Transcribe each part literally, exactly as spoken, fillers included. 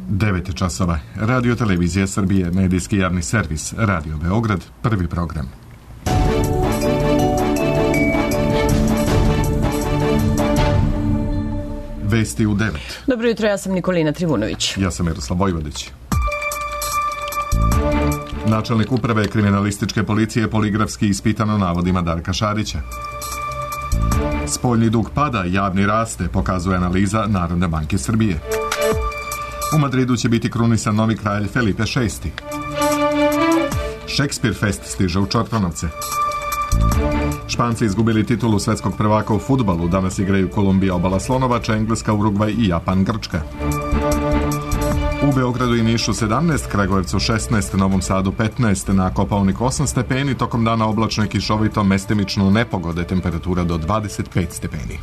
devet časova. Radio Televizija Srbije, medijski javni servis, Radio Beograd, prvi program. Vesti u devet. Dobro jutro, ja sam Nikolina Trivunović. Ja sam Miroslav Vojvodić. Načelnik uprave kriminalističke policije poligrafski ispitano navodima Darka Šarića. Spoljni dug pada, javni raste, pokazuje analiza Narodne banke Srbije. U Madridu će biti krunisan novi kralj Felipe šesti. Šekspir Fest stiže u Čortanovce. Španci izgubili titulu svetskog prvaka u fudbalu. Danas igraju Kolumbija, Obala Slonovača, Engleska, Urugvaj i Japan, Grčka. U Beogradu i Nišu sedamnaest, Kragujevcu šesnaest, Novom Sadu petnaest, na Kopaoniku osam stepeni, tokom dana oblačno i kišovito, mestimično nepogode, temperatura do dvadeset pet stepeni.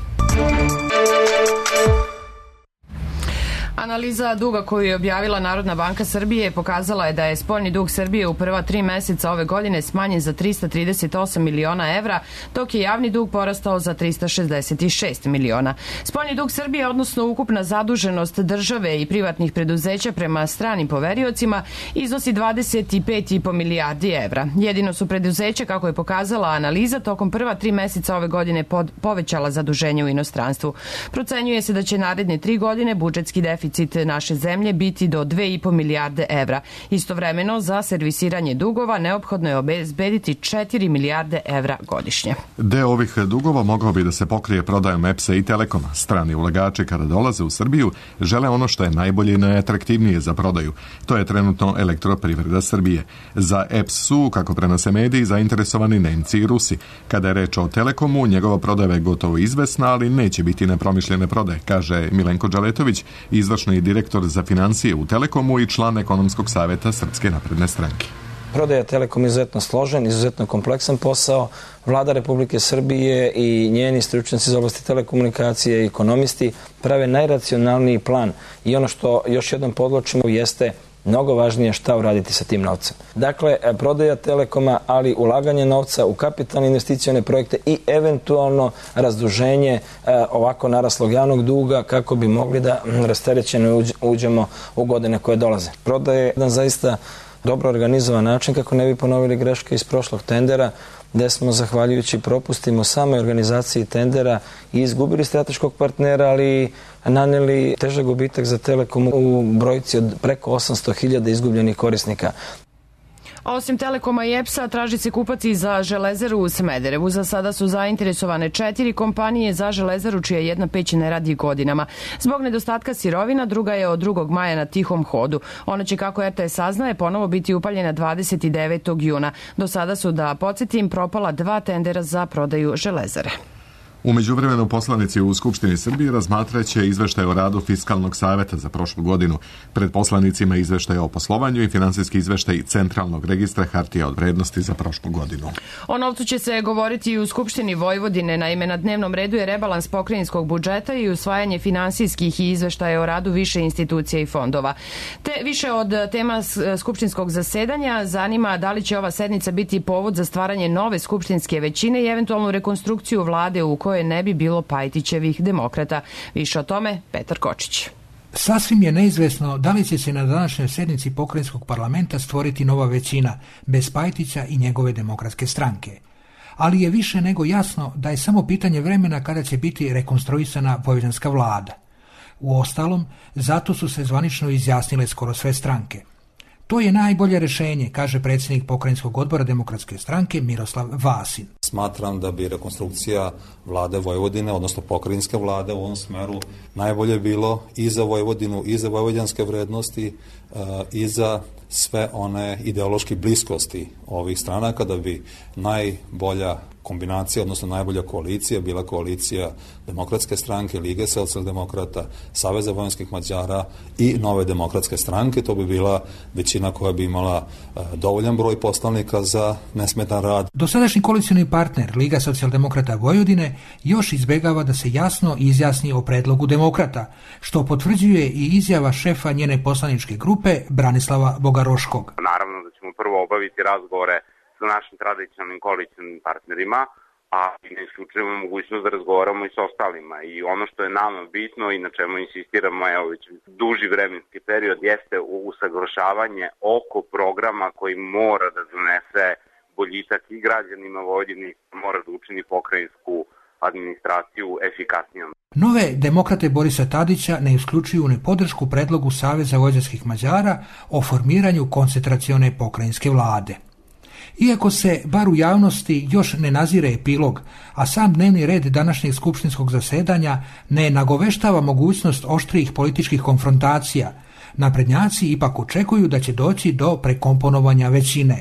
Analiza duga koju je objavila Narodna banka Srbije pokazala je da je spoljni dug Srbije u prva tri meseca ove godine smanjen za trista trideset osam miliona evra, dok je javni dug porastao za trista šezdeset šest miliona. Spoljni dug Srbije, odnosno ukupna zaduženost države i privatnih preduzeća prema stranim poveriocima, iznosi dvadeset pet i po milijardi evra. Jedino su preduzeća, kako je pokazala analiza, tokom prva tri meseca ove godine pod, povećala zaduženje u inostranstvu. Procenjuje se da će naredne tri godine budžetski deficit naše zemlje biti do dve i po milijarde evra. Istovremeno, za servisiranje dugova neophodno je obezbediti četiri milijarde evra godišnje. Deo ovih dugova mogao bi da se pokrije prodajom E P S-a i Telekoma. Strani ulagači kada dolaze u Srbiju žele ono što je najbolje i najatraktivnije za prodaju. To je trenutno Elektroprivreda Srbije. Za E P S su, kako prenose mediji, zainteresovani Nemci i Rusi. Kada je reč o Telekomu, njegova prodaja je gotovo izvesna, ali neće biti nepromišljene prodaje, kaže Milenko Đaletović, izvršni direktor za financije u Telekomu i član ekonomskog saveta Srpske napredne stranke. Prodaja Telekom je izuzetno složen, izuzetno kompleksan posao. Vlada Republike Srbije i njeni stručnjaci iz oblasti telekomunikacije i ekonomisti prave najracionalniji plan i ono što još jednom podvlačimo jeste mnogo važnije šta uraditi sa tim novcem. Dakle, prodaja Telekoma, ali ulaganje novca u kapitalne investicione projekte i eventualno razduženje e, ovako naraslog javnog duga kako bi mogli da rasterećeno uđemo u godine koje dolaze. Prodaja je jedan zaista dobro organizovan način kako ne bi ponovili greške iz prošlog tendera, gde smo, zahvaljujući propustima u samoj organizaciji tendera, i izgubili strateškog partnera, ali naneli težak gubitak za Telekom u brojci od preko osamsto hiljada izgubljenih korisnika. A osim Telekoma i E P S-a, traži se kupac i za Železaru u Smederevu. Za sada su zainteresovane četiri kompanije za Železaru, čija jedna peć ne radi godinama. Zbog nedostatka sirovina, druga je od drugog maja na tihom hodu. Ona će, kako R T S saznaje, ponovo biti upaljena dvadeset devetog juna. Do sada su, da podsjetim, propala dva tendera za prodaju Železare. U međuvremenu poslanici u Skupštini Srbije razmatraće izveštaj o radu Fiskalnog saveta za prošlu godinu. Pred poslanicima izveštaj o poslovanju i finansijski izveštaj Centralnog registra hartija od vrednosti za prošlu godinu. O novcu će se govoriti i u Skupštini Vojvodine. Naime, na dnevnom redu je rebalans pokrajinskog budžeta i usvajanje finansijskih i izveštaja o radu više institucija i fondova. Te više od tema skupštinskog zasedanja zanima da li će ova sednica biti povod za stvaranje nove skupštinske većine i eventualnu rekonstrukciju vlade u kojoj ne bi bilo Pajtićevih demokrata. Više o tome Petar Kočić. Sasvim je neizvesno da li će se na današnjoj sednici pokrajinskog parlamenta stvoriti nova većina bez Pajtića i njegove demokratske stranke. Ali je više nego jasno da je samo pitanje vremena kada će biti rekonstruisana vojvođanska vlada. Uostalom, zato su se zvanično izjasnile skoro sve stranke. To je najbolje rešenje, kaže predsjednik pokrajinskog odbora Demokratske stranke Miroslav Vasin. Smatram da bi rekonstrukcija vlade Vojvodine, odnosno pokrajinske vlade u ovom smeru najbolje bilo i za Vojvodinu, i za vojvođanske vrednosti, i za sve one ideološke bliskosti ovih stranaka, da bi najbolja kombinacija, odnosno najbolja koalicija bila koalicija Demokratske stranke, Lige socijaldemokrata, Saveza vojvođanskih Mađara i Nove demokratske stranke. To bi bila većina koja bi imala dovoljan broj poslanika za nesmetan rad. Dosadašnji koalicioni partner Liga socijaldemokrata Vojvodine još izbegava da se jasno izjasni o predlogu demokrata, što potvrđuje i izjava šefa njene poslaničke grupe Branislava Bogaroškog. Naravno da ćemo prvo obaviti razgovore sa našim tradicionalnim koalicionim partnerima, a ne isključujemo mogućnost da razgovaramo i s ostalima. I ono što je nama bitno i na čemu insistiramo evo već duži vremenski period jeste usaglašavanje oko programa koji mora da donese boljitak i građanima Vojvodine, mora da učini pokrajinsku administraciju efikasnijom. Nove demokrate Borisa Tadića ne isključuju ni podršku predlogu Saveza vojvođanskih Mađara o formiranju koncentracione pokrajinske vlade. Iako se, bar u javnosti, još ne nazire epilog, a sam dnevni red današnjeg skupštinskog zasedanja ne nagoveštava mogućnost oštrijih političkih konfrontacija, naprednjaci ipak očekuju da će doći do prekomponovanja većine,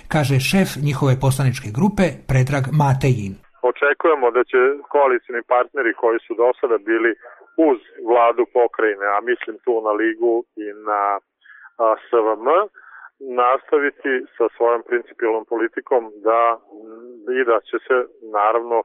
kaže šef njihove poslaničke grupe Predrag Matejin. Očekujemo da će koalicioni partneri koji su do sada bili uz vladu pokrajine, a mislim tu na Ligu i na S V M, nastaviti sa svojom principijelnom politikom da i da će se naravno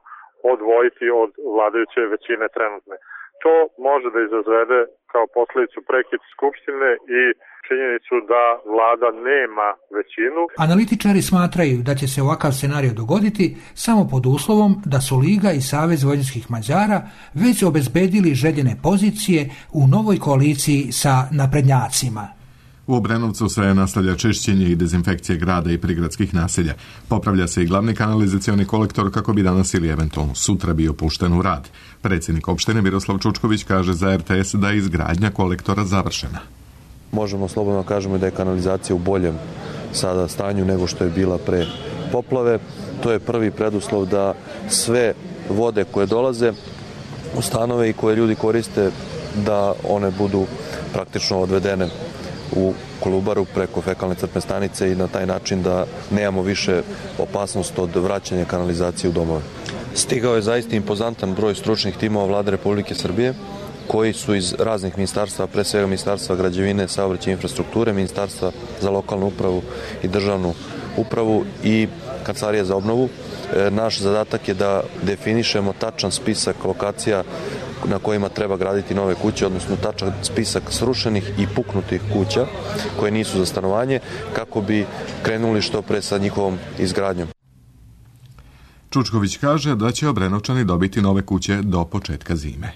odvojiti od vladajuće većine trenutne. To može da izazvede kao posledicu prekid skupštine i činjenicu da vlada nema većinu. Analitičari smatraju da će se ovakav scenario dogoditi samo pod uslovom da su Liga i Savez vojvođanskih Mađara već obezbedili željene pozicije u novoj koaliciji sa naprednjacima. U Obrenovcu se nastavlja čišćenje i dezinfekcije grada i prigradskih naselja. Popravlja se i glavni kanalizacioni kolektor kako bi danas ili eventualno sutra bio pušten u rad. Predsjednik opštine Miroslav Čučković kaže za R T S da je izgradnja kolektora završena. Možemo slobodno kažemo da je kanalizacija u boljem sada stanju nego što je bila pre poplave. To je prvi preduslov da sve vode koje dolaze u stanove i koje ljudi koriste da one budu praktično odvedene u Kolubaru preko fekalne crpne stanice i na taj način da nemamo više opasnost od vraćanja kanalizacije u domove. Stigao je zaista impozantan broj stručnih timova Vlade Republike Srbije koji su iz raznih ministarstva, pre svega Ministarstva građevine, saobraćaja i infrastrukture, Ministarstva za lokalnu upravu i državnu upravu i Kancelarija za obnovu. Naš zadatak je da definišemo tačan spisak lokacija na kojima treba graditi nove kuće, odnosno tačan spisak srušenih i puknutih kuća koje nisu za stanovanje, kako bi krenuli što pre sa njihovom izgradnjom. Čučković kaže da će Obrenovčani dobiti nove kuće do početka zime.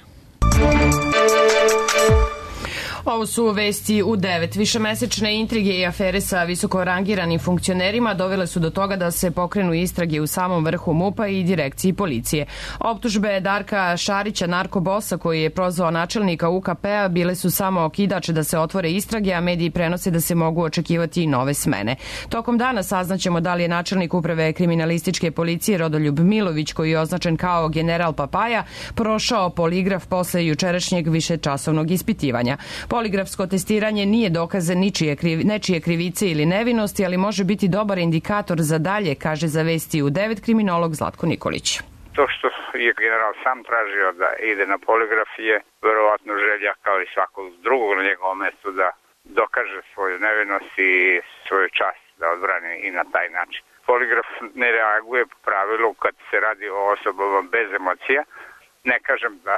Ovo su vesti u devet. Višemesečne intrige i afere sa visoko rangiranim funkcionerima dovele su do toga da se pokrenu istrage u samom vrhu MUP-a i direkciji policije. Optužbe Darka Šarića, narkobosa koji je prozvao načelnika U K P-a, bile su samo okidač da se otvore istrage, a mediji prenose da se mogu očekivati i nove smene. Tokom dana saznaćemo da li je načelnik uprave kriminalističke policije Rodoljub Milović, koji je označen kao general Papaja, prošao poligraf posle jučerašnjeg višečasovnog ispitivanja. Poligrafsko testiranje nije dokaz ničije, kriv, nečije krivice ili nevinosti, ali može biti dobar indikator za dalje, kaže za vesti u devet kriminolog Zlatko Nikolić. To što je general sam tražio da ide na poligraf je verovatno želja kao i svakog drugog na njegovom mestu da dokaže svoju nevinost i svoju čast da odbrani i na taj način. Poligraf ne reaguje po pravilu kad se radi o osobama bez emocija. Ne kažem da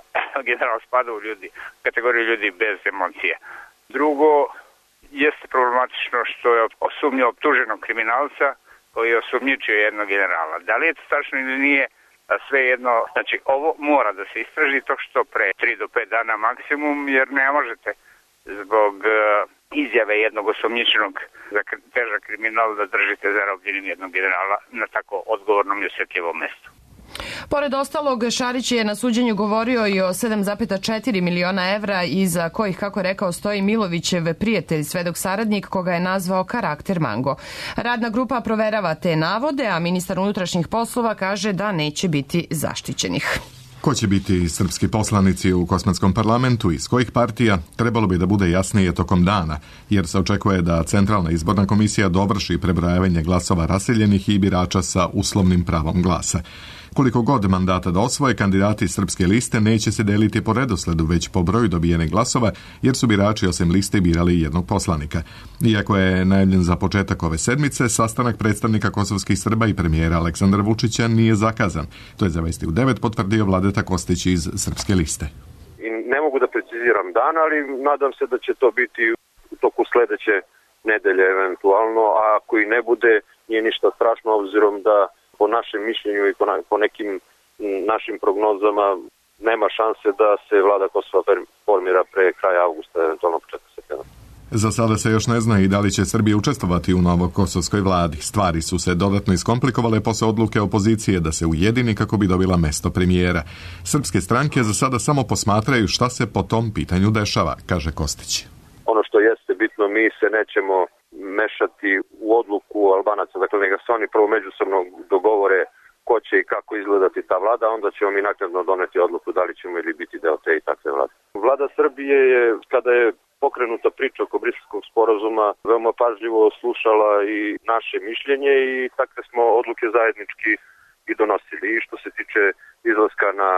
general spada u ljudi, kategoriju ljudi bez emocije. Drugo, jeste problematično što je osumnio optuženog kriminalca koji je osumnjičio jednog generala. Da li je to tačno ili nije, sve jedno, znači ovo mora da se istraži to što pre tri do pet dana maksimum, jer ne možete zbog uh, izjave jednog osumnjičenog za težak kriminal da držite zarobljenim jednog generala na tako odgovornom i osjetljivom mestu. Pored ostalog, Šarić je na suđenju govorio i o sedam zarez četiri miliona evra iza kojih, kako je rekao, stoji Milovićev prijatelj, svedok saradnik koga je nazvao karakter Mango. Radna grupa proverava te navode, a ministar unutrašnjih poslova kaže da neće biti zaštićenih. Ko će biti srpski poslanici u Kosmatskom parlamentu, iz kojih partija, trebalo bi da bude jasnije tokom dana, jer se očekuje da Centralna izborna komisija dovrši prebrojavanje glasova raseljenih i birača sa uslovnim pravom glasa. Koliko god mandata da osvoje, kandidati srpske liste neće se deliti po redosledu, već po broju dobijenih glasova, jer su birači osim liste birali jednog poslanika. Iako je najavljen za početak ove sedmice, sastanak predstavnika kosovskih Srba i premijera Aleksandra Vučića nije zakazan. To je za vesti u devet potvrdio Vladeta Kostić iz srpske liste. I ne mogu da preciziram dan, ali nadam se da će to biti u toku sledeće nedelje eventualno, a ako i ne bude, nije ništa strašno obzirom da po našem mišljenju i po nekim našim prognozama nema šanse da se vlada Kosova formira pre kraja avgusta, eventualno početka septembra. Za sada se još ne zna i da li će Srbija učestvovati u novokosovskoj vladi. Stvari su se dodatno iskomplikovale posle odluke opozicije da se ujedini kako bi dobila mesto premijera. Srpske stranke za sada samo posmatraju šta se po tom pitanju dešava, kaže Kostić. Ono što jeste bitno, mi se nećemo mešati u odluku Albanaca, dakle neka se oni prvo međusobno dogovore ko će i kako izgledati ta vlada, onda ćemo mi naknadno doneti odluku da li ćemo ili biti deo te i takve vlade. Vlada Srbije je, kada je pokrenuta priča oko Briselskog sporazuma, veoma pažljivo slušala i naše mišljenje i takve smo odluke zajednički i donosili. I što se tiče izlaska na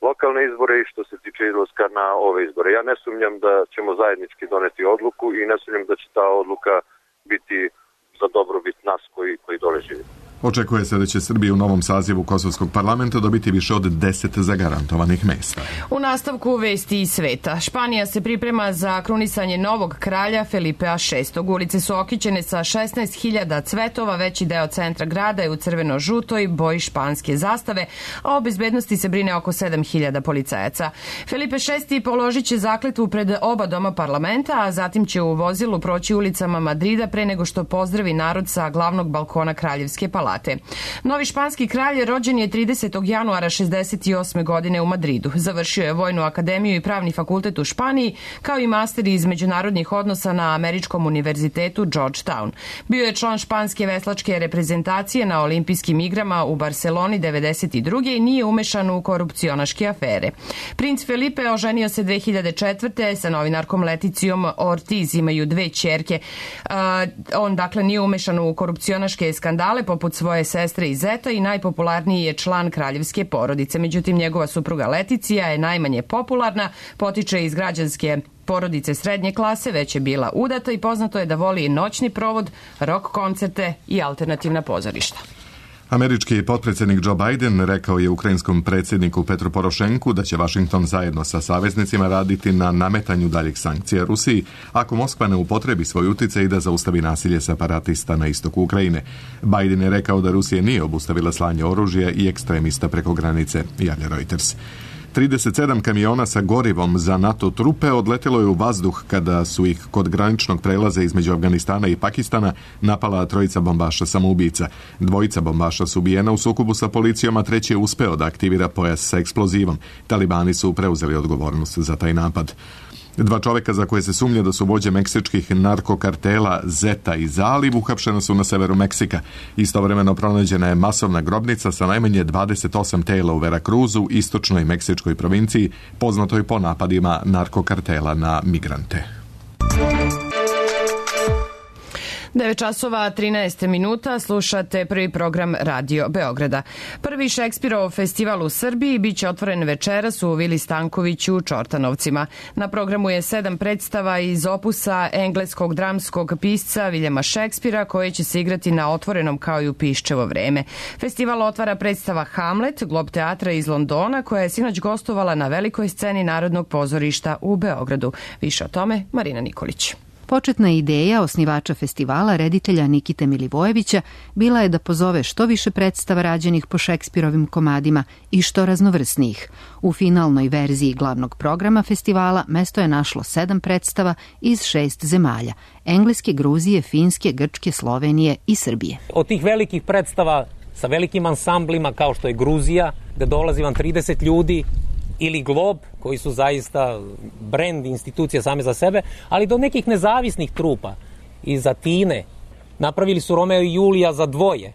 lokalne izbore i što se tiče izlaska na ove izbore. Ja ne sumnjam da ćemo zajednički doneti odluku i ne sumnjam da će ta odluka biti za dobrobit nas koji, koji dole živimo. Očekuje se da će Srbija u novom sazivu Kosovskog parlamenta dobiti više od deset zagarantovanih mesta. U nastavku vesti iz sveta. Španija se priprema za krunisanje novog kralja Felipea šestog. Ulice su okićene sa šesnaest hiljada cvetova, veći deo centra grada je u crveno-žutoj boji španske zastave, a o bezbednosti se brine oko sedam hiljada policajaca. Felipe šesti položit će zakletvu pred oba doma parlamenta, a zatim će u vozilu proći ulicama Madrida pre nego što pozdravi narod sa glavnog balkona Kraljevske palate. Novi španski kralj rođen je tridesetog januara šezdeset osme godine u Madridu. Završio je Vojnu akademiju i Pravni fakultet u Španiji, kao i master iz međunarodnih odnosa na Američkom univerzitetu Georgetown. Bio je član španske veslačke reprezentacije na olimpijskim igrama u Barceloni devedeset druge i nije umešan u korupcionaške afere. Princ Felipe oženio se dve hiljade četvrte sa novinarkom Leticijom Ortiz, imaju dve ćerke. Uh, on dakle nije umešan u korupcionaške skandale poput svoje sestre i zeta i najpopularniji je član kraljevske porodice. Međutim, njegova supruga Leticija je najmanje popularna, potiče iz građanske porodice srednje klase, već je bila udata i poznato je da voli noćni provod, rock koncerte i alternativna pozorišta. Američki potpredsjednik Joe Biden rekao je ukrajinskom predsjedniku Petru Porošenku da će Vašington zajedno sa saveznicima raditi na nametanju daljih sankcija Rusiji ako Moskva ne upotrebi svoj uticaj i da zaustavi nasilje separatista na istoku Ukrajine. Biden je rekao da Rusija nije obustavila slanje oružja i ekstremista preko granice, javlja Reuters. trideset sedam kamiona sa gorivom za NATO trupe odletelo je u vazduh kada su ih kod graničnog prelaza između Afganistana i Pakistana napala trojica bombaša samoubica. Dvojica bombaša su ubijena u sukobu sa policijom, a treći je uspeo da aktivira pojas sa eksplozivom. Talibani su preuzeli odgovornost za taj napad. Dva čoveka za koje se sumnja da su vođe meksičkih narkokartela Zeta i Zaliv uhapšena su na severu Meksika. Istovremeno pronađena je masovna grobnica sa najmanje dvadeset osam tela u Veracruzu, istočnoj meksičkoj provinciji, poznatoj po napadima narkokartela na migrante. devet časova trinaest minuta, slušate prvi program Radio Beograda. Prvi Šekspirov festival u Srbiji biće otvoren večeras u Vili Stankoviću u Čortanovcima. Na programu je sedam predstava iz opusa engleskog dramskog pisca Viljama Šekspira, koje će se igrati na otvorenom kao i u Piščevo vreme. Festival otvara predstava Hamlet, Glob teatra iz Londona, koja je sinoć gostovala na velikoj sceni Narodnog pozorišta u Beogradu. Više o tome Marina Nikolić. Početna ideja osnivača festivala, reditelja Nikite Milivojevića, bila je da pozove što više predstava rađenih po Šekspirovim komadima i što raznovrsnijih. U finalnoj verziji glavnog programa festivala mesto je našlo sedam predstava iz šest zemalja: Engleske, Gruzije, Finske, Grčke, Slovenije i Srbije. Od tih velikih predstava sa velikim ansamblima kao što je Gruzija, gde dolazi vam trideset ljudi, ili Glob, koji su zaista brend institucija same za sebe, ali do nekih nezavisnih trupa iz Atine. Napravili su Romeo i Julija za dvoje,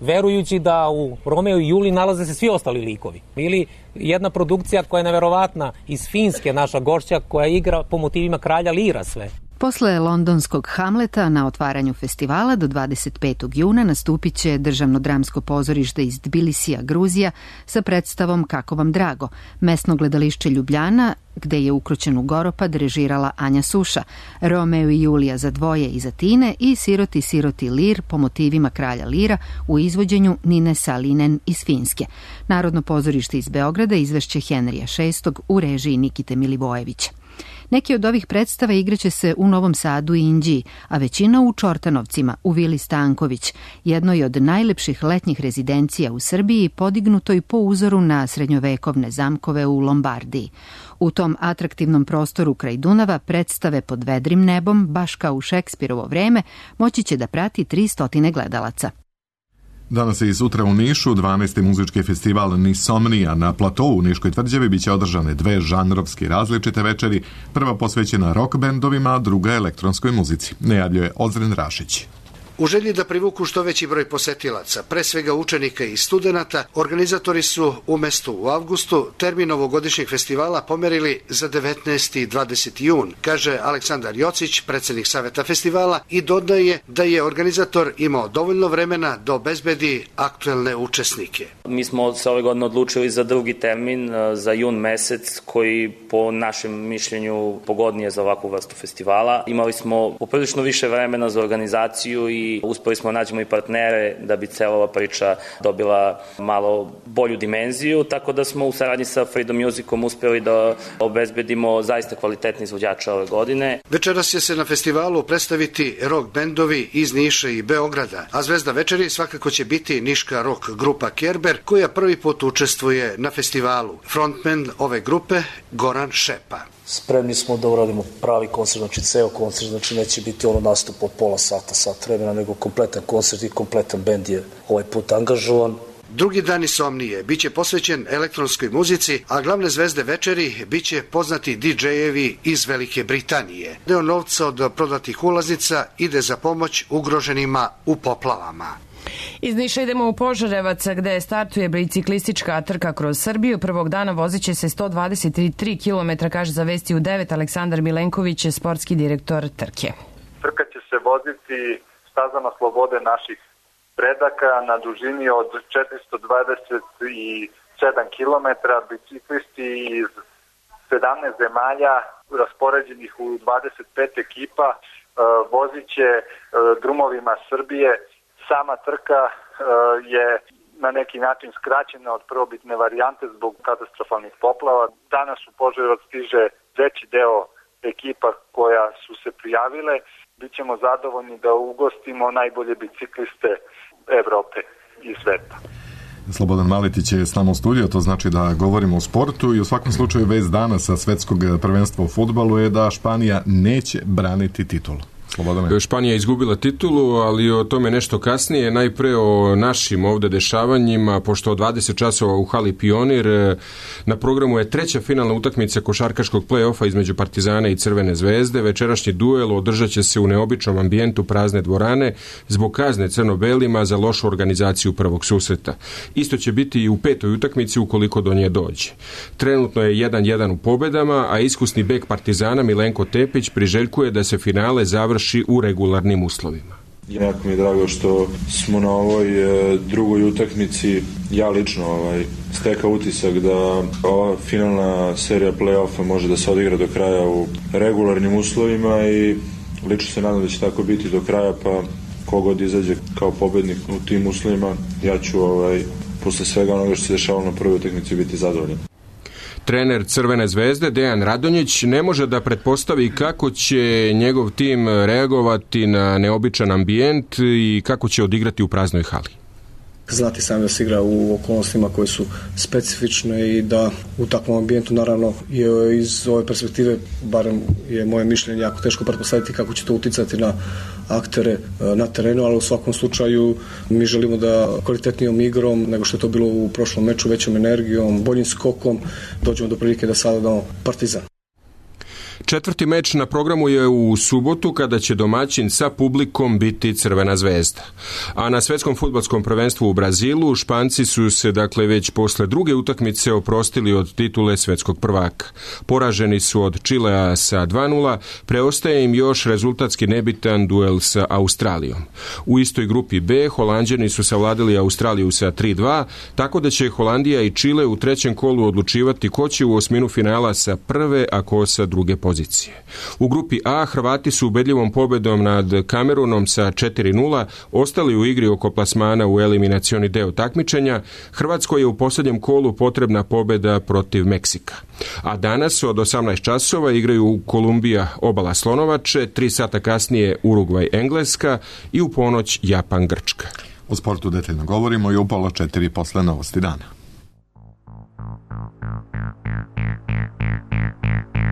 verujući da u Romeo i Juliji nalaze se svi ostali likovi. Ili jedna produkcija koja je neverovatna iz Finske, naša gošća, koja igra po motivima kralja Lira sve. Posle londonskog Hamleta na otvaranju festivala do dvadeset petog juna nastupit će Državno dramsko pozorište iz Tbilisija, Gruzija, sa predstavom Kako vam drago, mesno gledališće Ljubljana, gde je Ukrućenu Goropad režirala Anja Suša, Romeo i Julija za dvoje iz Atine i Siroti, siroti Lir po motivima kralja Lira u izvođenju Nine Salinen iz Finske. Narodno pozorište iz Beograda izvešće Henrija šestog u režiji Nikite Milivojevića. Neki od ovih predstava igraće se u Novom Sadu i Inđiji, a većina u Čortanovcima, u Vili Stanković, jednoj od najlepših letnjih rezidencija u Srbiji, podignutoj po uzoru na srednjovekovne zamkove u Lombardiji. U tom atraktivnom prostoru kraj Dunava predstave pod vedrim nebom, baš kao u Šekspirovo vreme, moći će da prati tristo gledalaca. Danas i sutra u Nišu dvanaesti muzički festival Nisomnija na platou u Niškoj tvrđavi biće održane dve žanrovski različite večeri, prva posvećena rock bendovima, a druga elektronskoj muzici, najavljuje Ozren Rašić. U želji da privuku što veći broj posetilaca, pre svega učenika i studenata, organizatori su umesto u avgustu termin ovogodišnjeg festivala pomerili za devetnaesti i dvadeseti jun, kaže Aleksandar Jocić, predsednik Saveta festivala, i dodaje da je organizator imao dovoljno vremena da obezbedi aktuelne učesnike. Mi smo se ove godine odlučili za drugi termin, za jun mesec, koji po našem mišljenju pogodnije za ovakvu vrstu festivala. Imali smo poprilično više vremena za organizaciju i uspeli smo nađemo i partnere da bi cela ova priča dobila malo bolju dimenziju, tako da smo u saradnji sa Freedom Musicom uspeli da obezbedimo zaista kvalitetni izvođača ove godine. Večeras će se na festivalu predstaviti rock bendovi iz Niša i Beograda, a zvezda večeri svakako će biti niška rock grupa Kerber, koja prvi put učestvuje na festivalu. Frontman ove grupe Goran Šepa. Spremni smo da uradimo pravi koncert, znači ceo koncert, znači neće biti ono nastup od pola sata, sat vremena, nego kompletan koncert i kompletan bend je ovaj put angažovan. Drugi dan Insomnije biće posvećen elektronskoj muzici, a glavne zvezde večeri biće poznati di džejevi iz Velike Britanije. Deo novca od prodatih ulaznica ide za pomoć ugroženima u poplavama. Iz Niša idemo u Požarevac, gde startuje biciklistička trka kroz Srbiju. Prvog dana vozit će se sto dvadeset tri kilometra, kaže za Vesti u devet Aleksandar Milenković, sportski direktor trke. Trka će se voziti stazama slobode naših predaka na dužini od četiristo dvadeset sedam kilometara. Biciklisti iz sedamnaest zemalja raspoređenih u dvadeset pet ekipa vozit će drumovima Srbije. Sama trka je na neki način skraćena od prvobitne varijante zbog katastrofalnih poplava. Danas u Požarevac stiže veći deo ekipa koja su se prijavile. Bićemo zadovoljni da ugostimo najbolje bicikliste Evrope i sveta. Slobodan Maletić je s nama u studiju, to znači da govorimo o sportu i u svakom slučaju vest dana sa svetskog prvenstva u fudbalu je da Španija neće braniti titulu. Slobodane. Španija je izgubila titulu, ali o tome nešto kasnije. Najpre o našim ovde dešavanjima, pošto od dvadeset časova u hali Pionir na programu je treća finalna utakmica košarkaškog play-offa između Partizana i Crvene zvezde. Večerašnji duel održat će se u neobičnom ambijentu prazne dvorane zbog kazne crno-belima za lošu organizaciju prvog susreta. Isto će biti i u petoj utakmici ukoliko do nje dođe. Trenutno je jedan jedan u pobedama, a iskusni bek Partizana Milenko Tepić priželjkuje da se finale završi u regularnim uslovima. Jako mi je drago što smo na ovoj drugoj utakmici, ja lično ovaj, stekao utisak da ova finalna serija play-offa može da se odigra do kraja u regularnim uslovima i lično se nadam da će tako biti do kraja, pa kogod izađe kao pobednik u tim uslovima, ja ću ovaj, posle svega onoga što se dešavalo na prvoj utakmici biti zadovoljan. Trener Crvene zvezde Dejan Radonjić ne može da pretpostavi kako će njegov tim reagovati na neobičan ambijent i kako će odigrati u praznoj hali. Znati sam da se igra u okolnostima koje su specifične i da u takvom ambijentu naravno je iz ove perspektive, barem je moje mišljenje, jako teško pretpostaviti kako će to uticati na aktere na terenu, ali u svakom slučaju mi želimo da kvalitetnijom igrom nego što je to bilo u prošlom meču, većom energijom, boljim skokom dođemo do prilike da savladamo Partizan. Četvrti meč na programu je u subotu kada će domaćin sa publikom biti Crvena zvezda. A na svetskom fudbalskom prvenstvu u Brazilu Španci su se dakle već posle druge utakmice oprostili od titule svetskog prvaka. Poraženi su od Čilea sa dva nula, preostaje im još rezultatski nebitan duel sa Australijom. U istoj grupi B Holanđani su savladali Australiju sa tri dva, tako da će Holandija i Čile u trećem kolu odlučivati ko će u osminu finala sa prve, a ko sa druge pozicije. pozicije. U grupi A Hrvati su ubedljivom pobedom nad Kamerunom sa četiri nula ostali u igri oko plasmana u eliminacioni deo takmičenja. Hrvatskoj je u posljednjem kolu potrebna pobjeda protiv Meksika. A danas od osamnaest časova igraju Kolumbija Obala Slonovače, tri sata kasnije Urugvaj Engleska i u ponoć Japan Grčka. U sportu detaljno govorimo i u pola četiri posle novosti dana.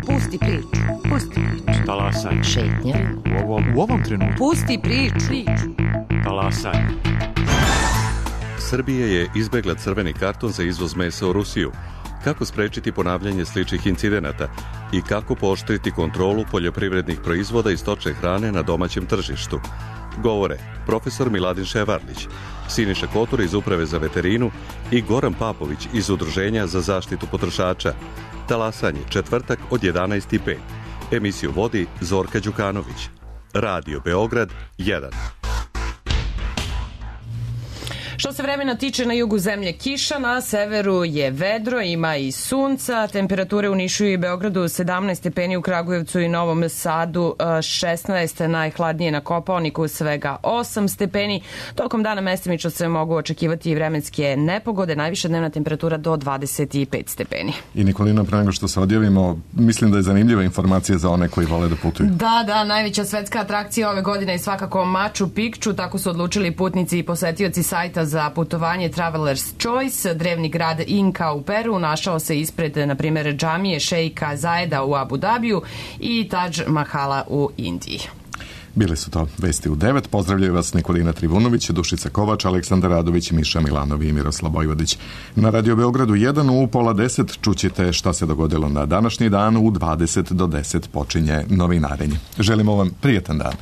Pusti priču, pusti priču. Talasaj. Šetnja. U ovom, u ovom trenutku. Pusti priču. Talasaj. Srbija je izbegla crveni karton za izvoz mesa u Rusiju. Kako sprečiti ponavljanje sličnih incidenata i kako pooštriti kontrolu poljoprivrednih proizvoda i stočne hrane na domaćem tržištu? Govore profesor Miladin Ševarlić, Siniša Kotor iz Uprave za veterinu i Goran Papović iz Udruženja za zaštitu potrošača. Talasanje, četvrtak od jedanaest i pet. Emisiju vodi Zorka Đukanović. Radio Beograd jedan. Što se vremena tiče, na jugu zemlje kiša, na severu je vedro, ima i sunca, temperature u Nišu i Beogradu sedamnaest stepeni, u Kragujevcu i Novom Sadu šesnaest, najhladnije na Kopaoniku svega osam stepeni. Tokom dana mestimično se mogu očekivati i vremenske nepogode, najviša dnevna temperatura do dvadeset pet stepeni. I Nikolina, pre nego što se odjavimo, mislim da je zanimljiva informacija za one koji vole da putuju. Da, da, najveća svetska atrakcija ove godine je svakako Machu Picchu, tako su odlučili putnici i posetioci sajta za putovanje Traveler's Choice. Drevni grad Inka u Peru našao se ispred, na primjer, džamije šejka Zajeda u Abu Dabiju i Taj Mahala u Indiji. Bili su to vesti u devet. Pozdravljaju vas Nikolina Trivunović, Dušica Kovač, Aleksandar Radović, Miša Milanov i Miroslav Vojvodić. Na Radio Beogradu jedan u pola deset čućete šta se dogodilo na današnji dan. U dvadeset do deset počinje novinarenje. Želimo vam prijetan dan.